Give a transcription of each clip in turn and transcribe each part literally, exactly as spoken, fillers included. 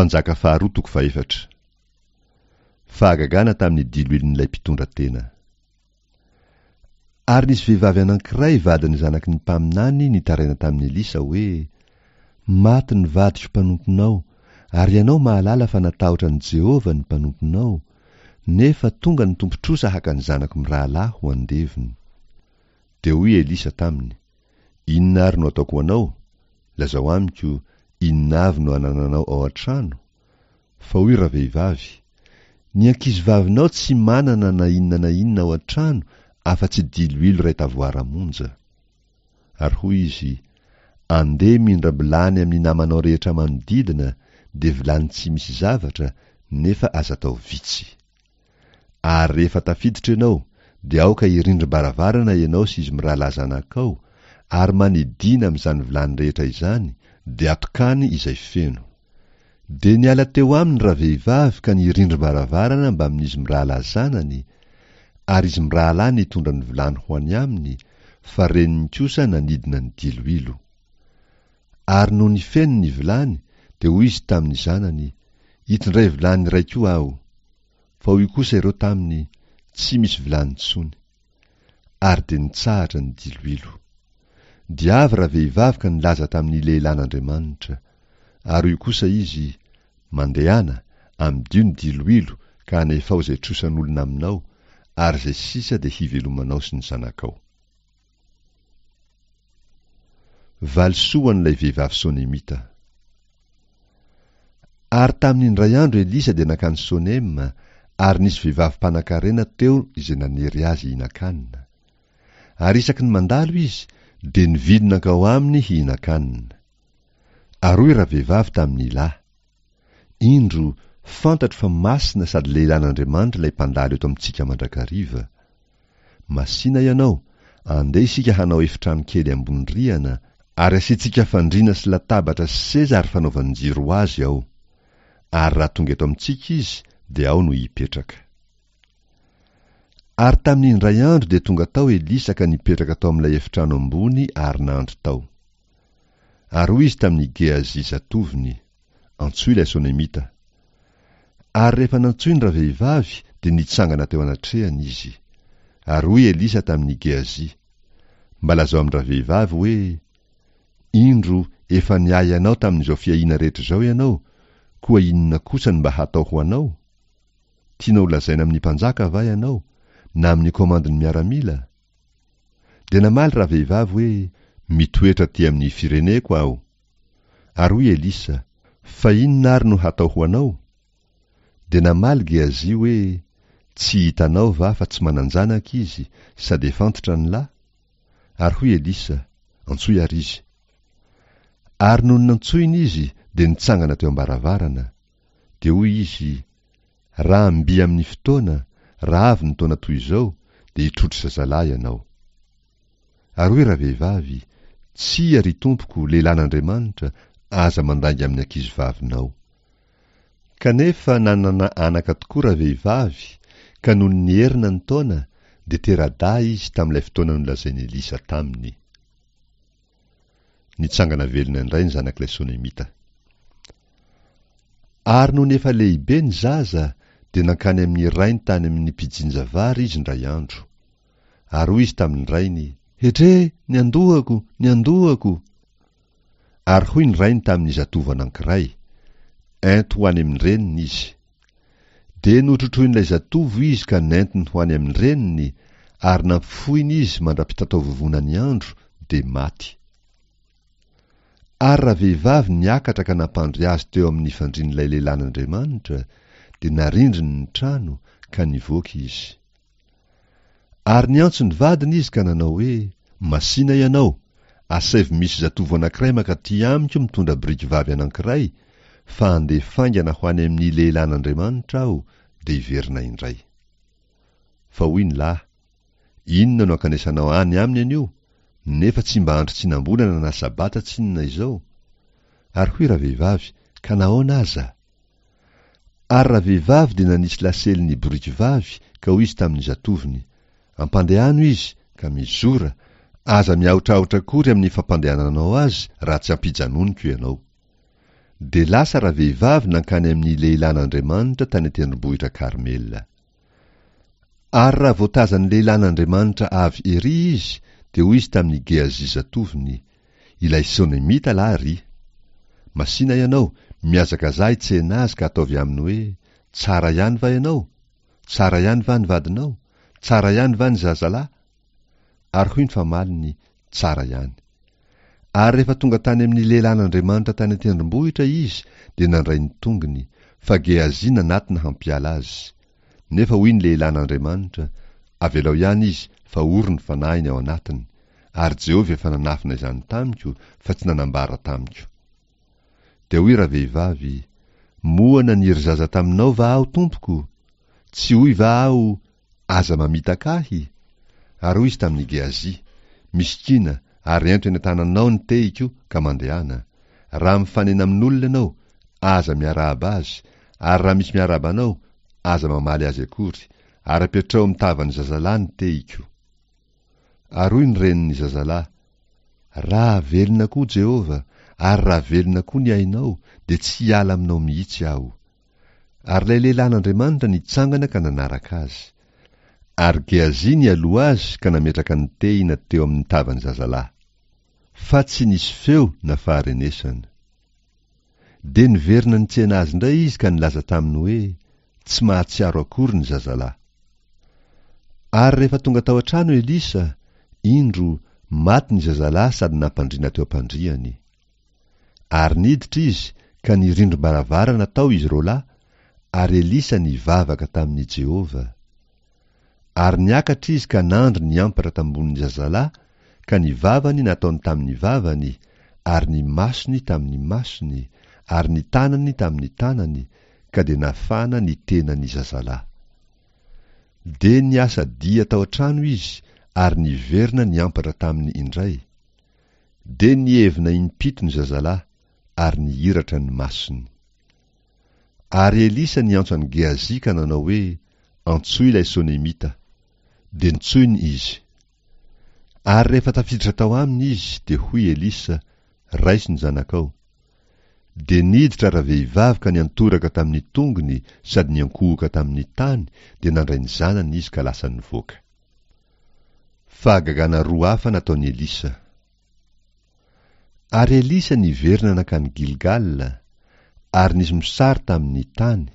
Mpanjaka faharoa toko fahefatra. Fahagagana tamin'ny diloilon'ilay mpitondra tena. Ary nisy vehivavy anankiray vadin'ny zanaky ny mpaminany nitaraina tamin'i Elisa hoe, Maty ny vadiko mpanomponao, ary ianao mahalala fa natahotra an'i Jehovah ny mpanomponao, nefa tonga ny tompon-trosa haka ny zanako mirahalahy ho andevony. Dia hoy Elisa taminy, Inona ary no ataoko ho anao? Lazao amiko, inona avy no anananao ao an-trano? Fa hoy ravehivavy, Ny ankizivavinao tsy manana na inona na inona ao an-trano afa-tsy diloilo iray tavoara monja. Ary hoy izy, Andeha mindram-bilany amin'ny namanao rehetra manodidina, dia vilany tsy misy zavatra, nefa aza atao vitsy. Ary rehefa tafiditra ianao, dia aoka hirindrim-baravarana ianao sy izy mirahalahy zanakao, ary manidìna amin'izany vilany rehetra izany, dia atokàny izay feno. Dia niala teo aminy ravehivavy ka nirindrim-baravarana mbamin'izy mirahalahy zanany, ary izy mirahalahy nitondra ny vilany ho any aminy, fa reniny kosa nanidina ny diloilo. Ary nony feno ny vilany, dia hoy izy tamin'ny zanany, Itondray vilany iray koa aho. Fa hoy kosa ireo taminy, Tsy misy vilany intsony. Ary dia nitsahatra ny diloilo. Dia avy ravehivavy ka nilaza tamin'ny lehilahin'Andriamanitra. Ary hoy kosa izy, Mandehana, amidio ny diloilo ka anefao izay trosan'olona aminao, ary izay sisa dia hivelomanao sy ny zanakao. Valisoa ho an'ilay vehivavy Sonemita. Ary tamin'ny indray andro Elisa dia nankany Sonema, ary nisy vehivavy mpanankarena teo izay nanery azy hihinan-kanina. Ary isaky ny mandalo izy, dia nivily nankao aminy hihinan-kanina. Ary hoy ravehivavy tamin'ny lahy, Indro, fantatro fa masina sady lehilahin'Andriamanitra ilay mpandalo eto amintsika mandrakariva. Masìna ianao, andeha isika hanao efitrano kely ambony rihana, ary asiantsika fandriana sy latabatra sy seza ary fanaovan-jiro ho azy ao. Ary raha tonga eto amintsika izy, dia ao no hipetraka. Ary tamin'ny indray andro dia tonga tao Elisa ka nipetraka tao amin'ilay efitrano ambony ary nandry tao. Ary hoy izy tamin'i Gehazi zatovony, Antsoy ilay Sonemita. Ary rehefa nantsoiny ravehivavy, dia nitsangana teo anatrehany izy. Ary hoy Elisa tamin'i Gehazi, Mba lazao amin-dravehivavy hoe, Indro, efa niahy anao tamin'izao fiahiana rehetra izao ianao, koa inona kosa no mba hatao ho anao? Tianao holazaina amin'ny mpanjaka va ianao, na amin'ny komandin'ny miaramila? Dia namaly ravehivavy hoe, Mitoetra aty amin'ny fireneko aho. Ary hoy Elisa, Fa inona ary no hatao ho anao? Dia namaly Gehazi hoe, Tsy hitanao va fa tsy manan-janaka izy, sady efa antitra ny lahy? Ary hoy Elisa, Antsoy àry izy. Ary nony nantsoina izy, dia nitsangana teo am-baravarana. Dia hoy izy, Raha mby amin'ny fotoana, raha avy ny taona toy izao, dia hitrotro zazalahy ianao. Ary hoy ravehivavy, Tsia, ry tompoko, lehilahin'Andriamanitra, aza mandainga amin'ny ankizivavinao. Kanefa nanana anaka tokoa ravehivavy, ka nony niherina ny taona, dia tera-dahy izy tamin'ilay fotoana nolazain'i Elisa taminy. Nitsangana velona indray ny zanak'ilay Sonemita. Ary nony efa lehibe ny zaza, dia nankany amin'ny rainy tany amin'ny mpijinja vary izy indray andro. Ary hoy izy tamin-drainy, Hetre! Ny andohako! Ny andohako! Ary hoy ny rainy tamin'ny zatovo anankiray, Ento ho any amin-dreniny izy. Dia notrotroin'ilay zatovo izy ka nentiny ho any amin-dreniny, ary nampifohiny izy mandra-pitataovovonan'ny andro, dia maty. Ary ravehivavy niakatra ka nampandry azy teo amin'ny fandrian'ilay lehilahin'Andriamanitra, dia narindriny ny trano, ka nivoaka izy. Ary niantso ny vadiny izy ka nanao hoe, Masìna ianao, asaivo misy zatovo anankiray mankaty amiko mitondra biriky vavy anankiray, fa handeha faingana ho any amin'ny lehilahin'Andriamanitra aho, dia hiverina indray. Fa hoy ny lahy, Inona no ankanesanao any aminy anio, nefa tsy mba andro tsinam-bolana na sabata tsinona izao? Ary hoy ravehivavy, Ka nahoana aza? Ary ravehivavy dia nanisy lasely ny boriky vavy ka hoy izy tamin'ny zatovony, Ampandehano izy, ka mizora, aza miahotrahotra akory amin'ny fampandehananao azy raha tsy ampijanoniko ianao. Dia lasa ravehivavy nankany amin'ny lehilahin'Andriamanitra tany an-tendrombohitra Karmela. Ary raha vao tazan'ny lehilahin'Andriamanitra avy ery izy, dia hoy izy tamin'i Gehazi zatovony, Ilay Sonemita lahy ry. Masina ianao, mihazakazaha hitsena azy ka ataovy aminy hoe, Tsara ihany va ianao? Tsara ihany va ny vadinao? Tsara ihany va ny zazalahy? Ary hoy ny famaliny, Tsara ihany. Ary rehefa tonga tany amin'ny lehilahin'Andriamanitra tany an-tendrombohitra izy, dia nandray ny tongony, fa Gehazi nanatona hampiala azy. Nefa hoy ny lehilahin'Andriamanitra, Avelao ihany izy, fa ory ny fanahiny ao anatiny, ary Jehovah efa nanafina izany tamiko, fa tsy nanambara tamiko. Dia hoy ravehivavy, Moa naniry zaza taminao va aho, tompoko? Tsy hoy va aho, Aza mamitaka ahy? Ary hoy izy tamin'i Gehazi, Misikina, ary ento eny an-tananao ny tehiko, ka mandehana. Raha mifanena amin'olona ianao, aza miarahaba azy, ary raha misy miarahaba anao, aza mamaly azy akory, ary apetraho amin'ny tavan'ny zazalahy ny tehiko. Ary hoy ny renin'ny zazalahy, Raha velona koa Jehovah, ary raha velona koa ny ainao, dia tsy hiala aminao mihitsy aho. Ary ilay lehilahin'Andriamanitra nitsangana ka nanaraka azy. Ary Gehazi nialoha azy ka nametraka ny tehina teo amin'ny tavan'ny zazalahy. Fa tsy nisy feo na faharenesana. Dia niverina nitsena azy indray izy ka nilaza taminy hoe, Tsy mahatsiaro akory ny zazalahy. Ary rehefa tonga tao an-trano Elisa, indro, maty ny zazalahy sady nampandriana teo am-pandriany. Ary niditra izy ka nirindrim-baravarana tao izy roalahy, ary Elisa nivavaka tamin'i Jehovah. Ary niakatra izy ka nandry niampatra tambonin'ny zazalahy, ka ny vavany nataony tamin'ny vavany, ary ny masony tamin'ny masony, ary ny tanany tamin'ny tanany, ka dia nafana ny tenan'ny zazalahy. Dia niasa dia tao an-trano izy, ary niverina niampatra taminy indray. Dia nihevina impito ny zazalahy, ary nihiratra ny masony. Ary Elisa niantso an'i Gehazi ka nanao hoe, Antsoy ilay Sonemita. Dia nantsoiny izy. Ary rehefa tafiditra tao aminy izy, dia hoy Elisa, Raiso ny zanakao. Dia niditra ravehivavy ka niantoraka tamin'ny tongony sady niankohoka tamin'ny tany, dia nandray ny zanany izy ka lasa nivoaka. Fahagagana roa hafa nataon'i Elisa. Ary Elisa niverina nankany Gilgala, ary nisy mosary tamin'ny tany,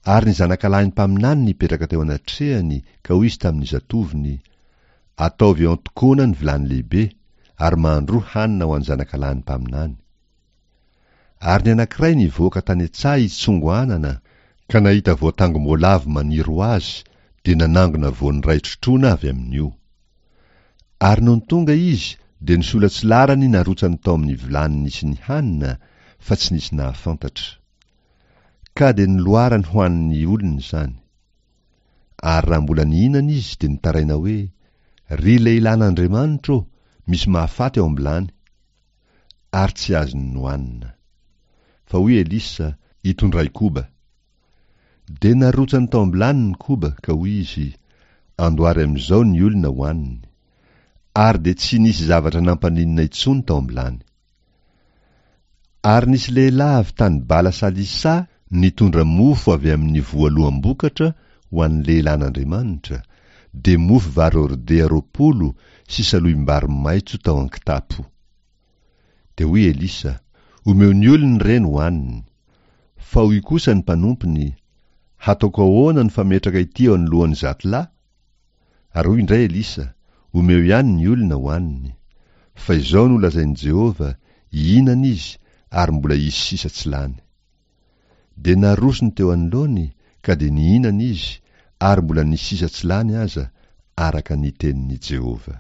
ary ny zanakalahin'ny mpaminany nipetraka teo anatrehany, ka hoy izy tamin'ny zatovony, Ataovy eo an-tokoana ny vilany lehibe, ary mahandroa hanina ho an'ny zanakalahin'ny mpaminany. Ary ny anankiray nivoaka tany an-tsaha hitsongo anana, ka nahita voatangom-boalavo maniry ho azy, dia nanangona voany iray trotroana avy amin'io. Ary nony tonga izy, dia ny sola-tsilarany narotsany tao amin'ny vilany nisy ny hanina, fa tsy nisy nahafantatra. Ka dia noloarany ho an'ny olona izany. Ary raha mbola nihinana izy, dia nitaraina hoe, Ry lehilahin'Andriamanitra ô, misy mahafaty ao am-bilany! Ary tsy azony nohanina. Fa hoy Elisa, Itondray koba. Dia narotsany tao am-bilany ny koba, ka hoy izy, Andoary amin'izao ny olona hohaniny. Ary dia tsy nisy zavatra nampaninona intsony tao am-bilany. Ary nisy lehilahy avy tany Bala-Salisa nitondra mofo avy amin'ny voaloham-bokatra ho an'ny lehilahin'Andriamanitra, dia mofo vary hordea roapolo sy salohim-bary maitso tao an-kitapo. Dia hoy Elisa, Omeo ny olona ireny hohaniny. Fa hoy kosa ny mpanompony, Hataoko ahoana ny fametraka ity eo anoloan'ny zato lahy? Ary hoy indray Elisa, Omeo ihany ny olona hohaniny. Fa izao no lazain'i Jehovah, Hihinana izy, ary mbola hisy sisa tsy lany. Dia narosony teo anoloany, ka dia nihinana izy, ary mbola nisy sisa tsy lany aza, araka ny tenin'i Jehovah.